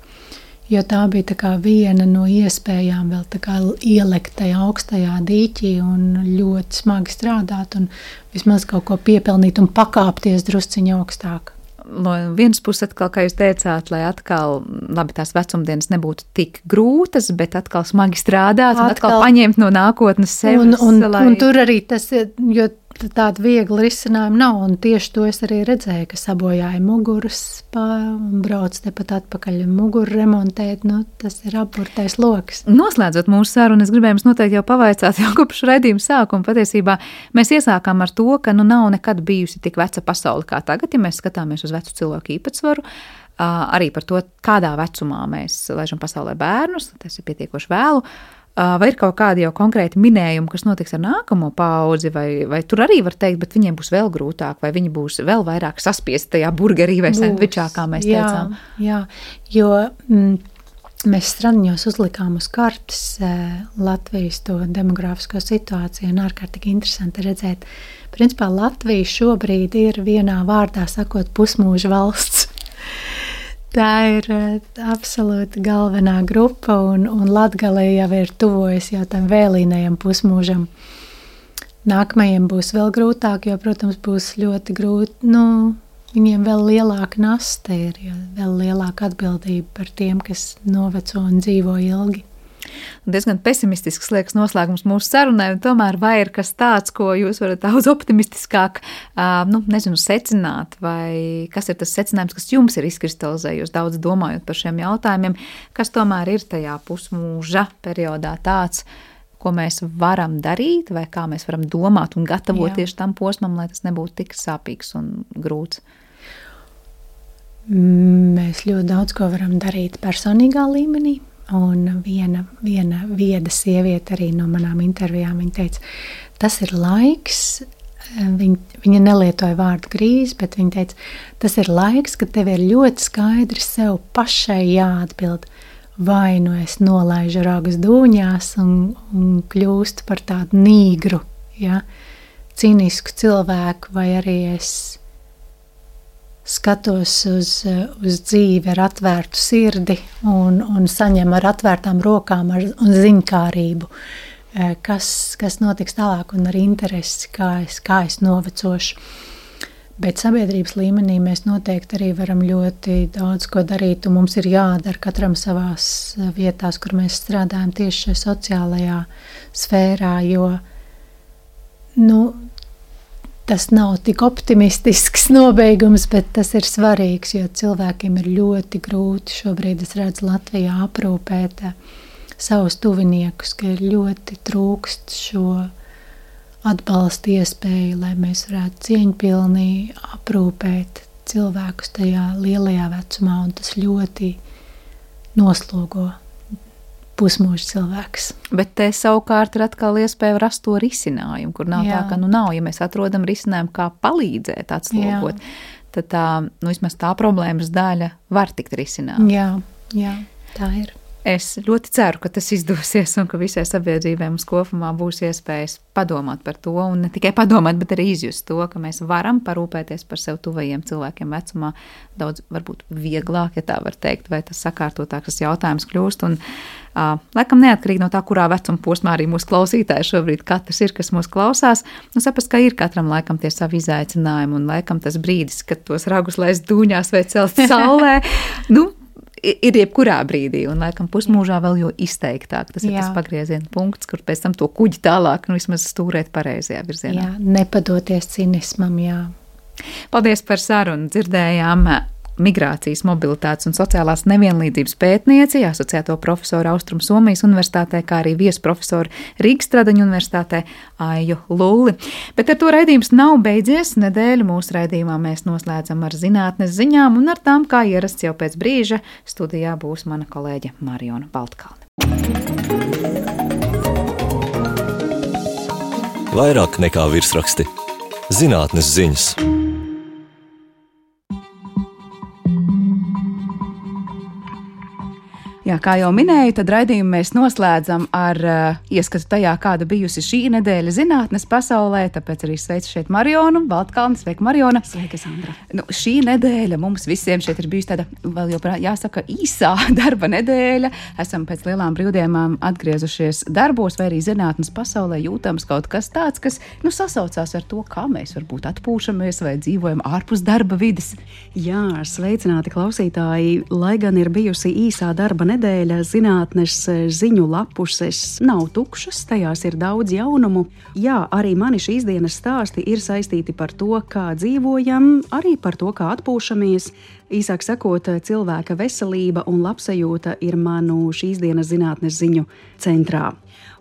jo tā bija tā kā viena no iespējām vēl tā kā ielekt tajā augstajā dīķī un ļoti smagi strādāt un vismaz kaut ko piepelnīt un pakāpties drusciņa augstāk. No vienas puses atkal, kā jūs teicāt, lai atkal, labi, tās vecumdienas nebūtu tik grūtas, bet atkal smagi strādāt un atkal, atkal paņemt no nākotnes sevis. Un, un, lai... un tur arī tas, jo tāda viegla risinājuma nav, un tieši to es arī redzēju, ka sabojāja muguras un brauc tepat atpakaļ un muguru remontēt, nu, tas ir apburtais loks. Noslēdzot mūsu sarunu, es gribēju jums noteikti jau pavaicāt jau kopš raidījuma sākuma. Patiesībā mēs iesākām ar to, ka nu nav nekad bijusi tik veca pasaule kā tagad, ja mēs skatāmies uz vecu cilvēku īpatsvaru, arī par to, kādā vecumā mēs laižam pasaulē bērnus, tas ir pietiekoši vēlu. Vai ir kaut kādi jau konkrēti minējumi, kas notiks ar nākamo paudzi, vai, vai tur arī var teikt, bet viņiem būs vēl grūtāk, vai viņi būs vēl vairāk saspiesti tajā burgerī vai sendvičā, kā mēs jā, teicām? Jā, jo mm, mēs stradiņos uzlikām uz kartes eh, Latvijas to demogrāfisko situāciju, un ārkārtīgi interesanti redzēt. Principā Latvija šobrīd ir vienā vārdā sakot pusmūža valsts. Tā ir absolūti galvenā grupa, un, un Latgale jau ir tuvojas jau tam vēlīnajam pusmūžam. Nākamajiem būs vēl grūtāk, jo, protams, būs ļoti grūti, nu, viņiem vēl lielāka nasta ir, jo vēl lielāka atbildība par tiem, kas noveco un dzīvo ilgi. Diezgan pesimistisks liekas noslēgums mūsu sarunai, un tomēr vai ir kas tāds, ko jūs varat daudz optimistiskāk, nu, nezinu, secināt, vai kas ir tas secinājums, kas jums ir izkristalizējies daudz domājot par šiem jautājumiem, kas tomēr ir tajā pusmūža periodā tāds, ko mēs varam darīt, vai kā mēs varam domāt un gatavoties tam posmam, lai tas nebūtu tik sāpīgs un grūts? Mēs ļoti daudz ko varam darīt personīgā līmenī, un viena, viena vieda sieviete arī no manām intervijām, viņa teica, tas ir laiks, viņa, viņa nelietoja vārdu krīze, bet viņa teica, tas ir laiks, kad tev ir ļoti skaidri sev pašai jāatbild, vai nu es nolaižu ragus dūņās un, un kļūstu par tādu nīgru, ja, cinisku cilvēku, vai arī es skatos uz, uz dzīvi ar atvērtu sirdi un, un saņem ar atvērtām rokām ar, un ziņkārību, kas, kas notiks tālāk un ar interesi, kā es, kā es novecošu. Bet sabiedrības līmenī mēs noteikti arī varam ļoti daudz ko darīt, un mums ir jādara katram savās vietās, kur mēs strādājam tieši šajā sociālajā sfērā, jo, nu, tas nav tik optimistisks nobeigums, bet tas ir svarīgs, jo cilvēkiem ir ļoti grūti šobrīd, es redzu, Latvijā aprūpēt savus tuviniekus, ka ir ļoti trūkst šo atbalsta iespēju, lai mēs varētu cieņpilnī aprūpēt cilvēkus tajā lielajā vecumā, un tas ļoti noslogo pusmūža cilvēks. Bet te savukārt ir atkal iespēja rast to risinājumu, kur nav jā. Tā, ka nu nav, ja mēs atrodam risinājumu, kā palīdzēt atslogot, jā. Tad tā, nu vismaz tā problēmas daļa var tikt risināt. Jā, jā, tā ir. Es ļoti ceru, ka tas izdosies un ka visai sabiedrībai mums kopumā būs iespējas padomāt par to, un ne tikai padomāt, bet arī izjust to, ka mēs varam parūpēties par sev tuvajiem cilvēkiem vecumā daudz varbūt vieglāk, ja tā var teikt, vai tas sakārtotāks jautājums kļūst, un uh, laikam neatkarīgi no tā, kurā vecuma posmā arī mūsu klausītāji šobrīd katrs ir, kas mūs klausās, un saprast, ka ir katram laikam tie savi izaicinājumi, un laikam tas brīdis, kad tos ragus laist dūņās vai celt saulē, nu, ir jebkurā brīdī, un laikam pusmūžā vēl jo izteiktāk. Tas jā. Ir tas pagrieziena punkts, kur pēc tam to kuģi tālāk, nu vismaz stūrēt pareizajā virzienā. Jā, nepadoties cinismam, jā. Paldies par sarunu, dzirdējām migrācijas, mobilitātes un sociālās nevienlīdzības pētnieci, asociēto profesoru Austrum Somijas universitātē, kā arī viesprofesoru Rīgas Stradaņu universitātē Aiju Lulli. Bet ar to raidījums nav beidzies. Nedēļu mūsu raidījumā mēs noslēdzam ar zinātnes ziņām, un ar tām, kā ierasts jau pēc brīža, studijā būs mana kolēģe Mariona Baltkalne. Vairāk nekā virsraksti. Zinātnes ziņas. Jā, kā jau minēju, tad raidījumu mēs noslēdzam ar uh, ieskatu tajā, kāda bijusi šī nedēļa zinātnes pasaulē, tāpēc arī sveicu šeit Marionu Baltkalni. Sveika, Mariona! Sveika, Sandra! Nu, šī nedēļa mums visiem šeit ir bijusi tāda, vēl joprojām jāsaka, īsā darba nedēļa. Esam pēc lielām brīvdienām atgriezušies darbos, vai arī zinātnes pasaulē jūtams kaut kas tāds, kas, nu, sasaucās ar to, kā mēs varbūt atpūšamies vai dzīvojam ārpus darba vides. Jā, sveicināti klausītāji! Lai gan ir bijusi īsā darba nedēļa, Nedēļa zinātnes ziņu lapuses nav tukšas, tajās ir daudz jaunumu. Jā, arī mani šīs dienas stāsti ir saistīti par to, kā dzīvojam, arī par to, kā atpūšamies. Īsāk sakot, cilvēka veselība un labsajūta ir manu šīs dienas zinātnes ziņu centrā.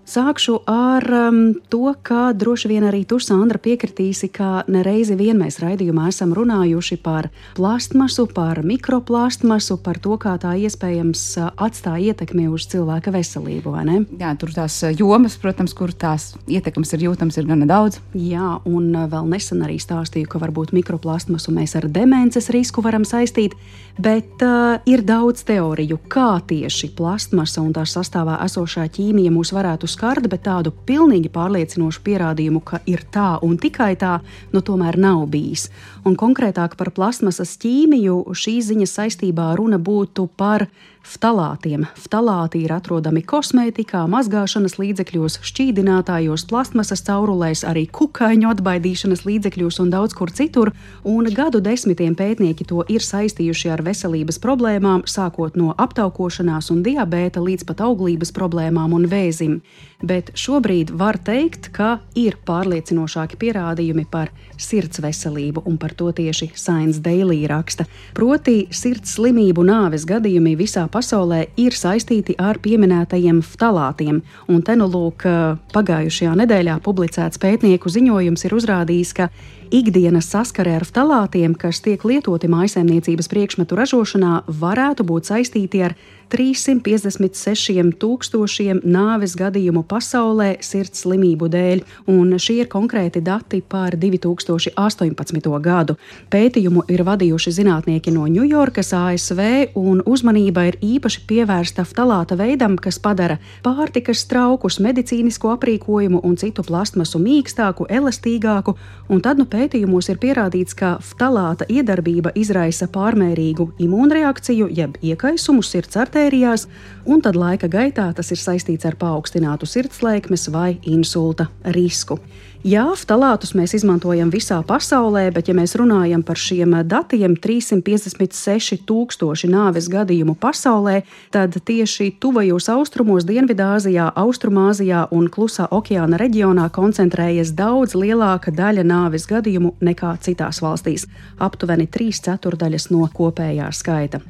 Sākšu ar um, to, ka droši vien arī tu, Sandra, piekritīsi, ka nereizi vien mēs raidījumā esam runājuši par plastmasu, par mikroplastmasu, par to, kā tā iespējams atstāja ietekmi uz cilvēka veselību, vai ne? Jā, tur tās jomas, protams, kur tās ietekmes ir jūtams, ir gana daudz. Jā, un vēl nesen arī stāstīju, ka varbūt mikroplastmasu mēs ar demences risku varam saistīt, bet uh, ir daudz teoriju, kā tieši plastmasa un tās sastāvā esošā ķīmija mūs varētu skart, bet tādu pilnīgi pārliecinošu pierādījumu, ka ir tā un tikai tā, nu tomēr nav bijis. Un konkrētāk par plastmasas ķīmiju šīs ziņas saistībā runa būtu par ftalātiem. Ftalāti ir atrodami kosmētikā, mazgāšanas līdzekļos, šķīdinātājos, plastmasas caurulēs, arī kukaiņu atbaidīšanas līdzekļos un daudz kur citur, un gadu desmitiem pētnieki to ir saistījuši ar veselības problēmām, sākot no aptaukošanās un diabēta līdz pat auglības problēmām un vēzim. Bet šobrīd var teikt, ka ir pārliecinošāki pierādījumi par sirds veselību, un par to tieši Science Daily raksta. Proti, sirds slimību nāves gadījumi visā pasaulē ir saistīti ar pieminētajiem ftalātiem, un te nu lūk, pagājušajā nedēļā publicēts pētnieku ziņojums ir uzrādījis, ka ikdienas saskare ar ftalātiem, kas tiek lietoti mājsaimniecības priekšmetu ražošanā, varētu būt saistīti ar trīssimt piecdesmit sešiem tūkstošiem nāves gadījumu pasaulē sirds slimību dēļ, un šie ir konkrēti dati par divi tūkstoši astoņpadsmito gadu. Pētījumu ir vadījuši zinātnieki no Ņujorkas, A S V, un uzmanība ir īpaši pievērsta ftalāta veidam, kas padara pārtikas traukus, medicīnisko aprīkojumu un citu plastmasu mīkstāku, elastīgāku, un tad nu pētījumos ir pierādīts, ka ftalāta iedarbība izraisa pārmērīgu imūnreakciju, jeb iekaisumu sirds artērijās, un tad laika gaitā tas ir saistīts ar paaugstinātu sirdslēkmes vai insulta risku. Jā, ftalātus mēs izmantojam visā pasaulē, bet ja mēs runājam par šiem datiem, trīssimt piecdesmit seši tūkstoši nāves gadījumu pasaulē, tad tieši tuvajos austrumos, Dienvidāzijā, Austrumāzijā un Klusā okeāna reģionā koncentrējas daudz lielāka daļa nāves gadījumu nekā citās valstīs, aptuveni trīs ceturdaļas no kopējā skaita.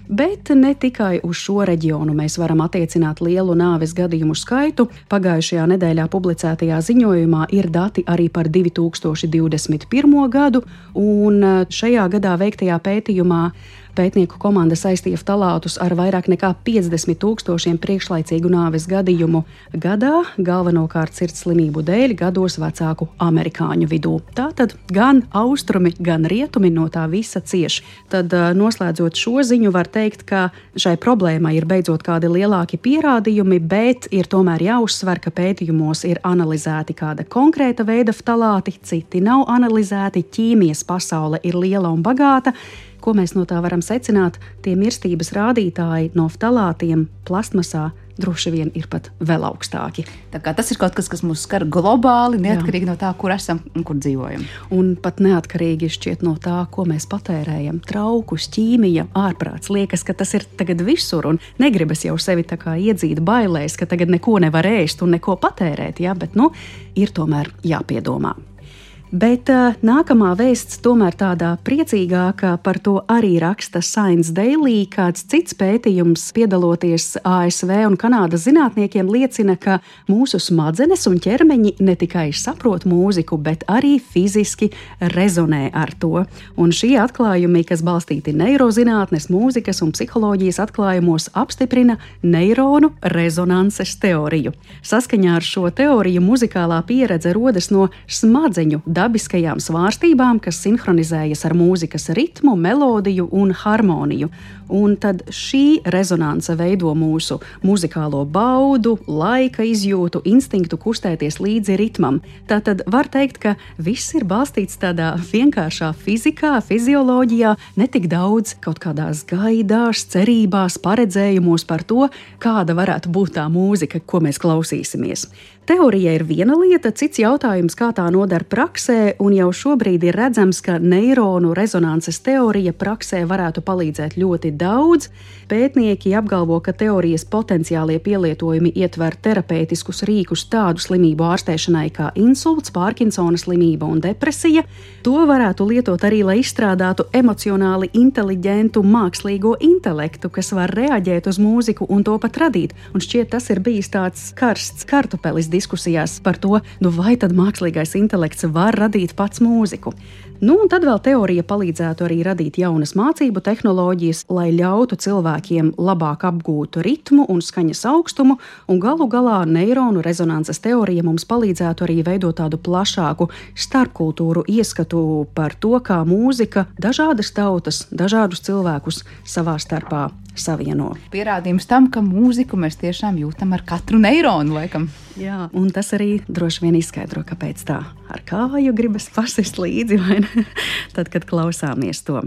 Bet ne tikai uz šo reģionu mēs varam attiecināt lielu nāves gadījumu skaitu. Pagājušajā nedēļā publicētajā ziņojumā ir dati arī par divi tūkstoši divdesmit pirmo gadu, un šajā gadā veiktajā pētījumā pētnieku komanda saistīja ftalātus ar vairāk nekā piecdesmit tūkstošiem priekšlaicīgu nāves gadījumu gadā, galvenokārt sirds slimību dēļ gados vecāku amerikāņu vidū. Tātad gan austrumi, gan rietumi no tā visa cieš. Tad noslēdzot šo ziņu var teikt, ka šai problēmai ir beidzot kādi lielāki pierādījumi, bet ir tomēr jāuzsver, ka pētījumos ir analizēti kāda konkrēta veida ftalāti, citi nav analizēti, ķīmijas pasaule ir liela un bagāta. Ko mēs no tā varam secināt? Tie mirstības rādītāji no ftalātiem plastmasā droši vien ir pat vēl augstāki. Tā kā tas ir kaut kas, kas mūs skar globāli, neatkarīgi Jā. no tā, kur esam un kur dzīvojam. Un pat neatkarīgi šķiet no tā, ko mēs patērējam. Traukus, ķīmija, ārprāts. Liekas, ka tas ir tagad visur, un negribas jau sevi tā kā iedzīt bailēs, ka tagad neko nevar ēst un neko patērēt, ja? Bet nu, ir tomēr jāpiedomā. Bet uh, nākamā vēsts tomēr tādā priecīgākā, par to arī raksta Science Daily. Kāds cits pētījums, piedaloties A S V un Kanādas zinātniekiem, liecina, ka mūsu smadzenes un ķermeņi ne tikai saprot mūziku, bet arī fiziski rezonē ar to. Un šie atklājumi, kas balstīti neirozinātnes, mūzikas un psiholoģijas atklājumos, apstiprina neironu rezonanses teoriju. Saskaņā ar šo teoriju muzikālā pieredze rodas no smadzeņu dabiskajām svārstībām, kas sinhronizējas ar mūzikas ritmu, melodiju un harmoniju. Un tad šī rezonanse veido mūsu muzikālo baudu, laika izjūtu, instinktu kustēties līdzi ritmam. Tātad var teikt, ka viss ir balstīts tādā vienkāršā fizikā, fizioloģijā, netik daudz kaut kādās gaidās, cerībās, paredzējumos par to, kāda varētu būt tā mūzika, ko mēs klausīsimies. Teorija ir viena lieta, cits jautājums, kā tā noder praksē, un jau šobrīd ir redzams, ka neironu rezonanses teorija praksē varētu palīdzēt ļoti daudz. Pētnieki apgalvo, ka teorijas potenciālie pielietojumi ietver terapeitiskus rīkus tādu slimību ārstēšanai kā insults, Pārkinsona slimība un depresija. To varētu lietot arī, lai izstrādātu emocionāli inteliģentu mākslīgo intelektu, kas var reaģēt uz mūziku un to pat radīt. Un šķiet, tas ir bijis tāds karsts kartupelis diskusijās par to, nu vai tad mākslīgais intelekts var radīt pats mūziku. Nu, un tad vēl teorija palīdzētu arī radīt jaunas mācību tehnoloģijas, lai ļautu cilvēkiem labāk apgūt ritmu un skaņas augstumu, un galu galā neironu rezonanses teorija mums palīdzētu arī veidot tādu plašāku starpkultūru ieskatu par to, kā mūzika dažādas tautas, dažādus cilvēkus savā starpā savieno. Pierādījums tam, ka mūziku mēs tiešām jūtam ar katru neironu, laikam. Jā, un tas arī droši vien izskaidro, kāpēc tā ar kāju gribas pasist līdzi, vai ne? Tad, kad klausāmies to.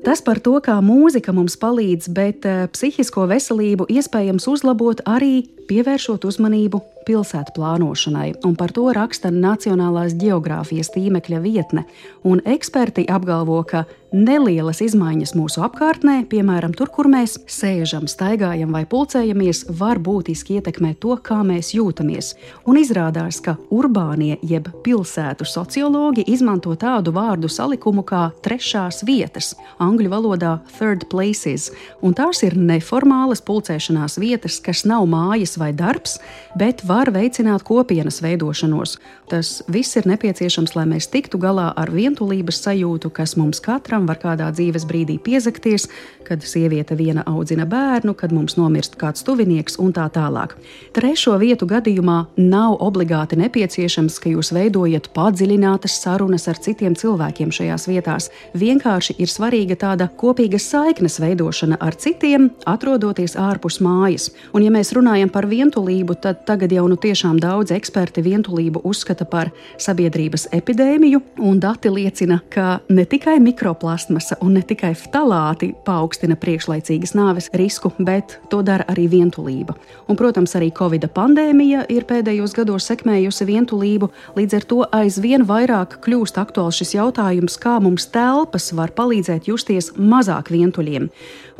Tas par to, kā mūzika mums palīdz, bet psihisko veselību iespējams uzlabot arī pievēršot uzmanību pilsētu plānošanai, un par to raksta Nacionālās ģeogrāfijas tīmekļa vietne, un eksperti apgalvo, ka nelielas izmaiņas mūsu apkārtnē, piemēram, tur, kur mēs sēžam, staigājam vai pulcējamies, var būtiski ietekmēt to, kā mēs jūtamies. Un izrādās, ka urbānie jeb pilsētu sociologi izmanto tādu vārdu salikumu kā trešās vietas, angļu valodā third places, un tās ir neformālas pulcēšanās vietas, kas nav mājas vai darbs, bet var veicināt kopienas veidošanos. Tas viss ir nepieciešams, lai mēs tiktu galā ar vientulības sajūtu, kas mums katram var kādā dzīves brīdī piezakties, kad sieviete viena audzina bērnu, kad mums nomirst kāds tuvinieks un tā tālāk. Trešo vietu gadījumā nav obligāti nepieciešams, ka jūs veidojat padziļinātas sarunas ar citiem cilvēkiem šajās vietās. Vienkārši ir svarīga tāda kopīgas saiknes veidošana ar citiem, atrodoties ārpus mājas. Un ja mēs runājam par vientulību, tad tagad jau nu tiešām daudz eksperti vientulību uzskata par sabiedrības epidēmiju, un dati liecina, ka ne tikai mikroplastmasa un ne tikai ftalāti paaugstina priekšlaicīgas nāves risku, bet to dara arī vientulība. Un, protams, arī Covida pandēmija ir pēdējos gados sekmējusi vientulību, līdz ar to aizvien vairāk kļūst aktuāls šis jautājums, kā mums telpas var palīdzēt justies mazāk vientuļiem.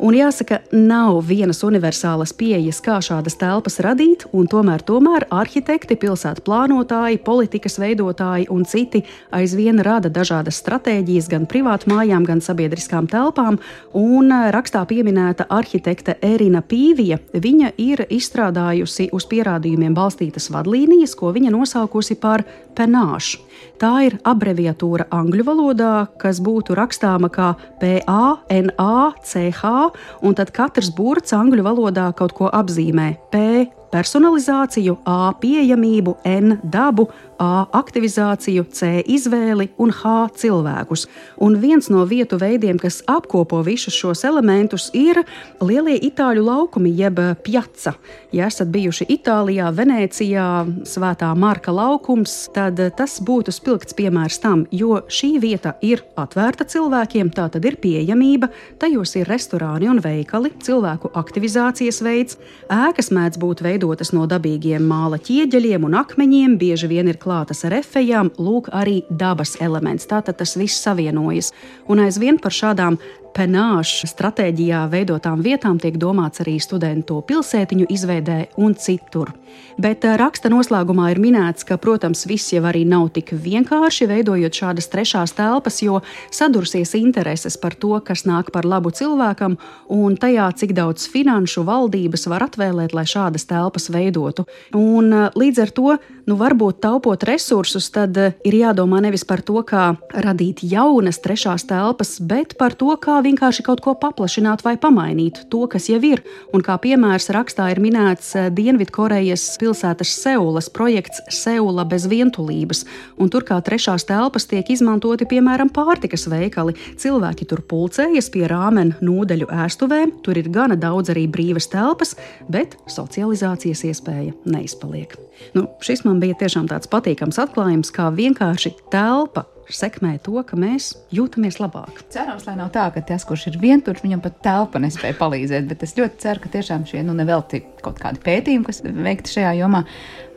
Un jāsaka, nav vienas universālas pieejas, kā šādas telpas radīt, un tomēr tomēr arhitekti, pilsētu plānotāji, politikas veidotāji un citi aizvien rada dažādas stratēģijas gan privātu mājām, gan sabiedriskām telpām, un rakstā pieminēta arhitekte Erina Pīvija, viņa ir izstrādājusi uz pierādījumiem balstītas vadlīnijas, ko viņa nosaukusi par penāšu. Tā ir abreviatūra angļu valodā, kas būtu rakstāma kā P A N A C H, un tad katrs burts angļu valodā kaut ko apzīmē. P personalizāciju, A pieejamību, N dabu, A aktivizāciju, C izvēli un H cilvēkus. Un viens no vietu veidiem, kas apkopo visus šos elementus, ir lielie itāļu laukumi, jeb piazza. Ja esat bijuši Itālijā, Venēcijā, Svētā Marka laukums, tad tas būtu spilgts piemērs tam, jo šī vieta ir atvērta cilvēkiem, tā tad ir pieejamība, tajos ir restorāni un veikali, cilvēku aktivizācijas veids, ēkas mēdz būt veidotas no dabīgiem māla ķieģeļiem un akmeņiem, bieži vien ir klātas ar efejām, lūk arī dabas elements. Tātad tas viss savienojas. Un aizvien par šādām penāšu stratēģijā veidotām vietām tiek domāts arī studentu pilsētiņu izveidē un citur. Bet raksta noslēgumā ir minēts, ka, protams, viss jau arī nav tik vienkārši veidojot šādas trešās telpas, jo sadursies intereses par to, kas nāk par labu cilvēkam, un tajā, cik daudz finanšu valdības var atvēlēt, lai šādas telpas veidotu. Un līdz ar to, nu varbūt taupot resursus, tad ir jādomā nevis par to, kā radīt jaunas trešās telpas, bet par to, kā vienkārši kaut ko paplašināt vai pamainīt to, kas jau ir. Un kā piemērs rakstā ir minēts Dienvidkorejas pilsētas Seulas projekts Seula bez vientulības. Un tur kā trešās telpas tiek izmantoti, piemēram, pārtikas veikali. Cilvēki tur pulcējas pie rāmen nūdeļu ēstuvēm, tur ir gana daudz arī brīvas telpas, bet socializācijas iespēja neizpaliek. Nu, šis man bija tiešām tāds patīkams atklājums, kā vienkārši telpa sekmē to, ka mēs jūtamies labāk. Cerams, lai nav tā, ka tas, kurš ir vientuļš, viņam pat telpa nespēja palīdzēt, bet es ļoti ceru, ka tiešām šie, nu, nevelti kaut kādi pētījumi, kas veikti šajā jomā,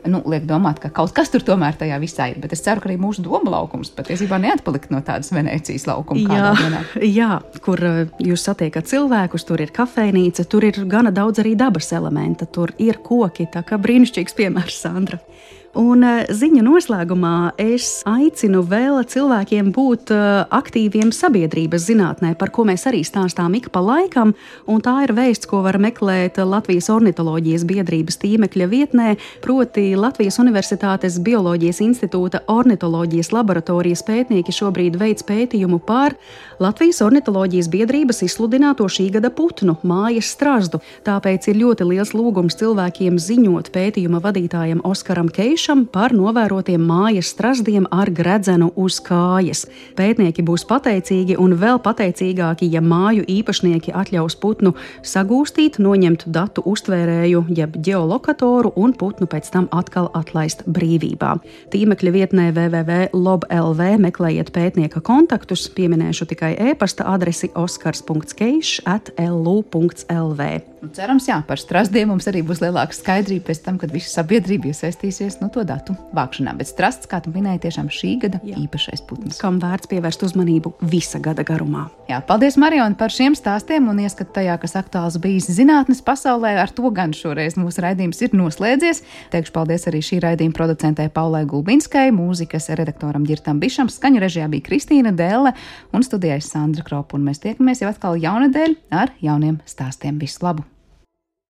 nu, liek domāt, ka kaut kas tur tomēr tajā visā ir, bet es ceru, ka arī mūsu doma laukums patiesībā neatpalikt no tādas Venēcijas laukuma. Jā, jā, kur jūs satiekat cilvēkus, tur ir kafejnīca, tur ir gana daudz arī dabas elementa, tur ir koki, tā kā brīnišķīgs piemērs, Sandra. Un ziņu noslēgumā es aicinu vēl cilvēkiem būt aktīviem sabiedrības zinātnē, par ko mēs arī stāstām ik pa laikam, un tā ir vēsts, ko var meklēt Latvijas ornitoloģijas biedrības tīmekļa vietnē, proti Latvijas Universitātes Bioloģijas institūta ornitoloģijas laboratorijas pētnieki šobrīd veic pētījumu par Latvijas ornitoloģijas biedrības izsludināto šī gada putnu, mājas strazdu. Tāpēc ir ļoti liels lūgums cilvēkiem ziņot pētījuma vadītājam Oskaram Keišam par novērotiem mājas strazdiem ar gredzenu uz kājas. Pētnieki būs pateicīgi un vēl pateicīgāki, ja māju īpašnieki atļaus putnu sagūstīt, noņemt datu uztvērēju, jeb ģeolokatoru un putnu pēc tam atkal atlaist brīvībā. Tīmekļa vietnē w w w punkt lob punkt l v meklējiet pētnieka kontaktus, pieminēšu tikai e-pasta adresi oskars punkts keišs at l u punkts l v. Nu, cerams, jā, par strastiem mums arī būs lielāka skaidrība pēc tam, kad visa sabiedrība iesaistīsies no to datu vākšanā. Bet strasts, kā tu minēji, tiešām šī gada jā. īpašais putns. Kam vērts pievērst uzmanību visa gada garumā. Jā, paldies, Mariona, par šiem stāstiem un ieskatu tajā, kas aktuāls bijis zinātnes pasaulē. Ar to gan šoreiz mūsu raidījums ir noslēdzies. Teikšu paldies arī šī raidījuma producentē Paulai Gulbinskai, mūzikas redaktoram Ģirtam Bišam, skaņu režijā bija Kristīna Dēle un studijā Sandra Kropa. Un mēs tiekamies jau atkal jaunedēļ ar jauniem stāstiem. Visu labu!